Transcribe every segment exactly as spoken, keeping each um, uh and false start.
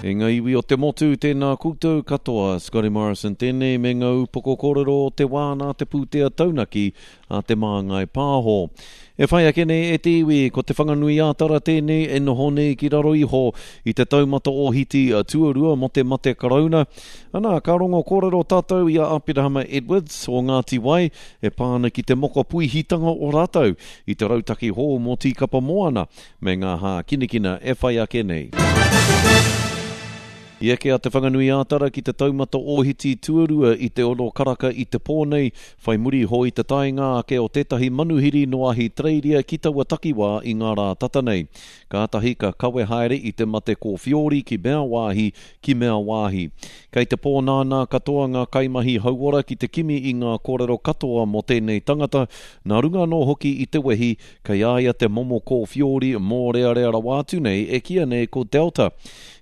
E ngā iwi o te motu, tēnā koutou katoa, Scotty Morrison tēnei me ngā upoko kōrero o te wā nā te pūtea taunaki a Te Māngai Pāho. E whai ake nei e te iwi, ko Te Whanganui-ā-Tara tēnei e noho nei ki raro iho i te taumata ohiti tuarua mō te mate karauna. Ana, ka rongo kōrero tātou i a Aperahama Edwards o Ngāti Wai e pā ana ki te mokopuihitanga o rātou i te rautaki hou mō Tīkapa Moana me ngā hākinakina e whai ake nei. I eke a Te Whanganui-ā-Tara ki te taumata ohiti tuarua i te ono karaka i te pō nei, whai muri iho i te taenga ake o tētahi manuhiri nō Ahitereiria ki taua takiwā i ngā rā tata nei. Kātahi ka kawe haere i te mate kōwhiori ki mea wāhi, ki mea wāhi. Kei te pōnānā katoa ngā kaimahi hauora ki te kimi i ngā kōrero katoa mō tēnei tangata, nā runga anō hoki i te wehi kei a ia te momo kōwhiori mōrearea rawa atu nei e kīia nei ko Delta.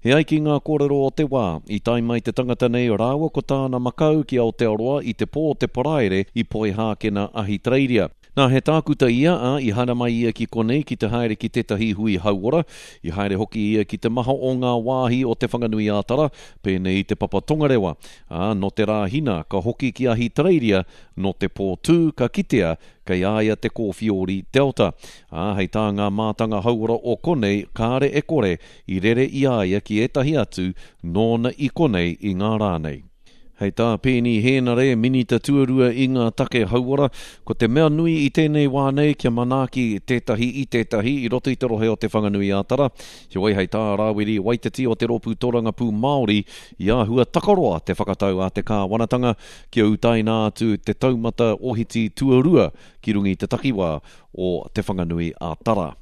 E ai ki ngā kōrero o te wā, i tae mai te tangata nei rāua ko tāna makau ki Aotearoa i te pō o te Paraire i Poihākena, Ahitereiria. Nā, he tākuta ia, ā, i haere mai ia ki konei ki te haere ki tētahi hui hauora. I haere hoki ia ki te maha o ngā wāhi o Te Whanganui-ā-Tara, pēnei i Te Papa Tongarewa. Ā, nō te Rāhina, ka hoki ki Ahitereiria, nō te pō tū, ka kitea kei a ia te kōwhiori Delta. Ā, hei tā ngā mātanga hauora o konei, kāre e kore i rere i a ia ki ētahi atu nōna i konei i ngā rā nei. Hei tā Peeni Hēnare, Minita Tuarua i ngā take hauora, ko te mea nui i tēnei wā nei kia manaaki tētahi i tētahi i roto i te rohe o Te Whanganui-ā-Tara. Heoi, hei tā Rāwiri Waititi o te Rōpū Tōrangapū Māori, i āhua takaroa te whakatau a te kāwanatanga kia utaina atu te taumata ohiti tuarua ki runga i te takiwā o Te Whanganui-ā-Tara.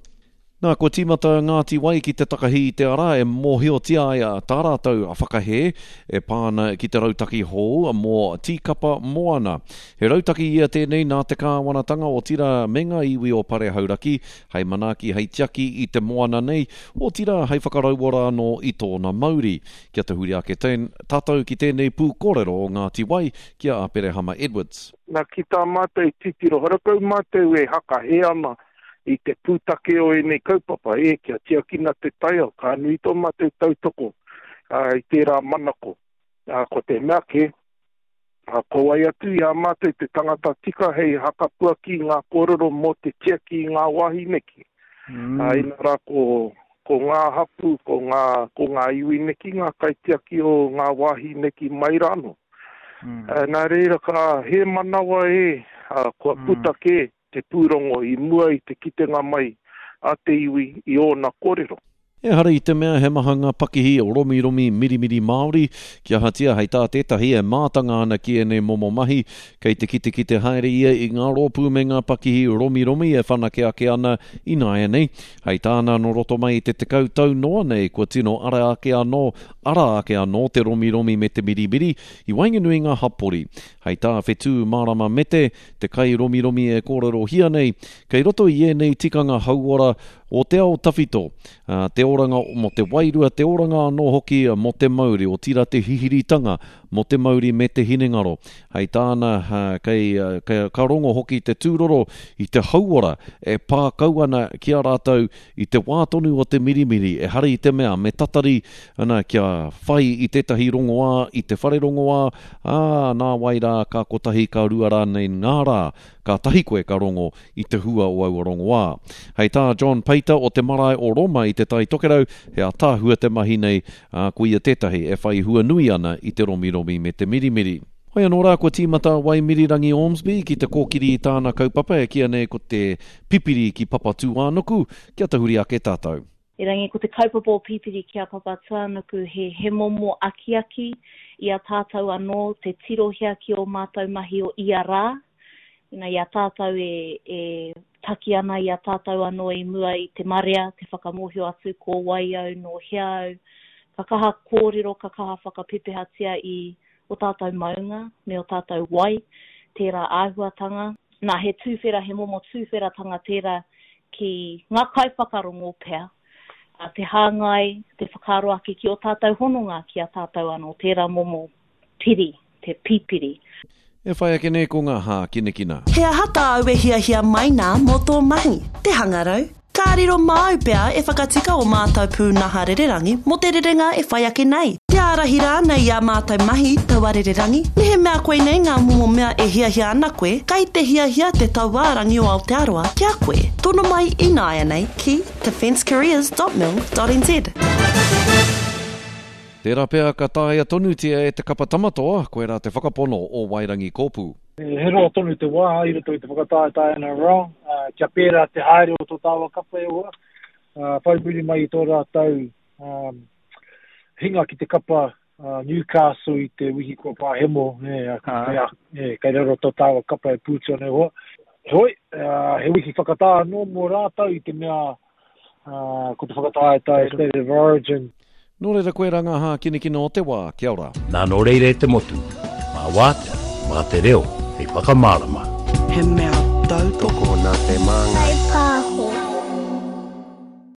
Nā, kua tīmata a Ngāti Wai ki te takahi i te ara e mōhiotia ai tā rātou whakahē e pā ana ki te rautaki hou mō Tīkapa Moana. He rautaki ia tēnei nā te kāwanatanga, otirā me ngā iwi o Pare Hauraki, hei manaaki, hei tiaki i te moana nei, otirā hei whakarauora anō i tōna mauri. Kia tahuri ake tātou ki tēnei pūkōrero o Ngāti Wai ki a Aperehama Edwards. Nā, ki tā mātou titiro, horakau mātou e hakahē ana i te pūtake o ēnei kaupapa, e, kia tiakina te taiao, ka nui tō mātou tautoko i tērā manako. Ko te mea kē, ko wai atu i a mātou te tangata tika hei hakapuaki i ngā kōrero mō te tiaki i ngā wāhi neki. Mm. Inā rā ko, ko ngā hapū, ko ngā, ko ngā iwi neki, ngā kaitiaki o ngā wāhi neki mai rānō. Mm. Nā reira ka hēmanawa e, kua puta mm. kē te pūrongo i mua i te kitenga mai a te iwi i ōna kōrero. Ehara i te mea he maha ngā pakihi romiromi mirimiri Māori, kia ahatia hei tā tētahi e mātanga ana ki ēnei momo mahi, kei te kitekite haere ia i ngā rōpū me ngā pakihi romiromi e whanake ake ana ināianei. Hei tāna nō roto mai i te tekau tau noa nei kua tino ara ake anō, ara ake anō te romiromi me te mirimiri i waenganui ngā hapori. Hei tā Whetū Mārama Mete, te kairomiromi e kōrerohia nei, kei roto i ēnei tikanga hauora o te ao tawhito, te oranga mō te wairua, te oranga anō hoki mō te mauri, otirā te hihiritanga mō te mauri me te hinengaro. Hei tāna, kei, kei, ka rongo hoki te tūroro i te hauora e pā kau ana ki a rātou i te wā tonu o te mirimiri, ehara i te mea me tatari ana kia whai i tētahi rongoā, i te whare rongoā, ā, nā wai rā ka kotahi ka rua rānei ngā rā, kātahi koe ka rongo i te hua o aua rongoā. Hei tā John Peita o te marae o Roma i te Tai Tokerau, he ātaahua te mahi nei, ā, ko ia tētahi e whai hua nui ana i te romiromi me te mirimiri. Hoi anō rā, kua tīmata a Waimirirangi Ormsby ki te kōkiri i tāna kaupapa e kīia nei ko te Pipiri ki Papatūānuku, kia tahuri ake tātou. Erangi, ko te kaupapa o Pipiri ki a Papatūānuku he, he momo akiaki i a tātou anō te tirohia ki ō mātou mahi o ia rā, ina i a tātou e, e taki ana i a tātou anō i mua i te marea, te whakamōhio atu ko wai au, nō hea au, ka kaha kōrero, ka kaha whakapepehatia i o tātou maunga me o tātou wai, tērā āhuatanga. Nā, he tūwhera, he momo tūwheratanga tērā ki ngā kaiwhakarongo pea, te hāngai, te whakaaro ake ki o tātou hononga ki a tātou anō, tērā momo piri, te pipiri. E whai ake nei ko ngā hākinakina. He aha tāu e hiahia mai nā mō tō mahi? Te hangarau, Ka riro māu pea e whakatika o mātou pūnaha rererangi mō te rerenga e whai ake nei. Te ārahi rānei i ā mātou mahi taua rererangi, mehemea koinei ngā momo mea e hiahia ana koe, kei te hiahia te tauārangi o Aotearoa ki a koe. Tono mai ināianei ki defencecareers dot mil dot nz. Tērā pea ka taea tonutia e te kapa Tamatoa, koirā te whakapono o Wairangi Kōpū. He roa tonu te wā i roto i te whakataetae N R L, kia pērā te haere o tō tāua kapa e hoa, whai muri mai i tō rātou hinga ki te kapa Newcastle i te wiki kua pāhemo, kei raro tō tāua kapa e pūtu ana e hoa. Heoi, he wiki whakatā anō mō rātou i te mea ko te whakataetae State of Origin. Nō reira koe rā ngā hākinakina o te wā, kia ora. Nā nō reira e te motu, mā wātea, mā te reo, hei whakamārama. He mea tautoko nā te māngai.